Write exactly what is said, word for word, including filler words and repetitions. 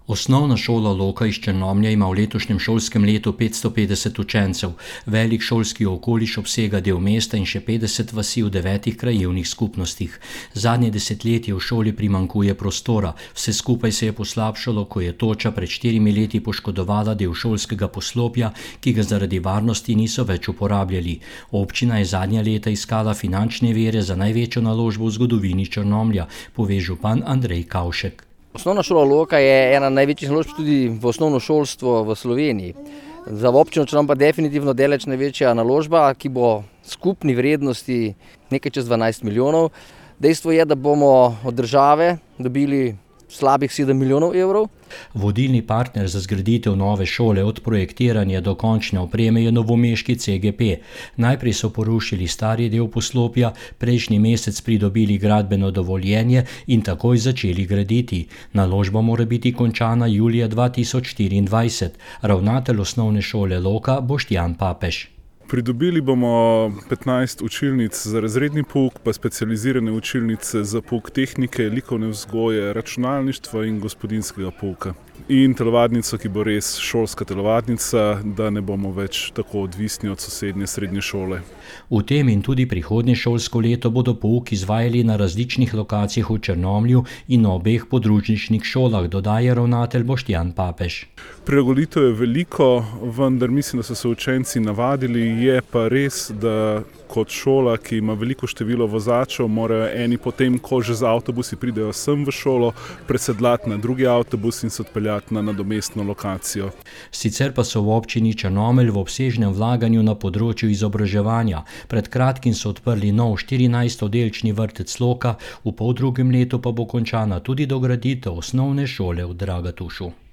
Osnovna šola Loka iz Črnomlja ima v letošnjem šolskem letu petsto petdeset učencev. Velik šolski okoliš obsega del mesta in še petdeset vasi v devetih krajevnih skupnostih. Zadnje desetletje v šoli primanjkuje prostora. Vse skupaj se je poslabšalo, ko je toča pred štirimi leti poškodovala del šolskega poslopja, ki ga zaradi varnosti niso več uporabljali. Občina je zadnja leta iskala finančne vire za največjo naložbo v zgodovini Črnomlja, pove župan Andrej Kavšek. Osnovna šola Loka je ena največjih naložb tudi v osnovno šolstvo v Sloveniji. Za občino Črnomelj pa definitivno daleč največja naložba, ki bo skupni vrednosti nekaj čez dvanajst milijonov. Dejstvo je, da bomo od države dobili slabih sedem milijonov evrov. Vodilni partner za zgraditev nove šole od projektiranja do končne opreme je novomeški C G P. Najprej so porušili stari del poslopja, prejšnji mesec pridobili gradbeno dovoljenje in takoj začeli graditi. Naložba mora biti končana julija dva tisoč štiriindvajset. Ravnatelj osnovne šole Loka Boštjan Papež. Pridobili bomo petnajst učilnic za razredni pouk, pa specializirane učilnice za pouk tehnike, likovne vzgoje, računalništva in gospodinjskega pouka. In telovadnico, ki bo res šolska telovadnica, da ne bomo več tako odvisni od sosednje srednje šole. V tem in tudi prihodnje šolsko leto bodo pouk izvajali na različnih lokacijah v Črnomlju in na obeh podružničnih šolah, dodaja ravnatelj Boštjan Papež. Prilagoditev je veliko, vendar mislim, da so se učenci navadili. Je pa res, da kot šola, ki ima veliko število vozačev, morajo eni potem, ko že z avtobusi pridejo sem v šolo, presedlati na drugi avtobus in se odpeljati na nadomestno lokacijo. Sicer pa so v občini Črnomelj v obsežnem vlaganju na področju izobraževanja. Pred kratkim so odprli nov štirinajstoddelčni vrtec Loka, v poldrugem letu pa bo končana tudi dograditev osnovne šole v Dragatušu.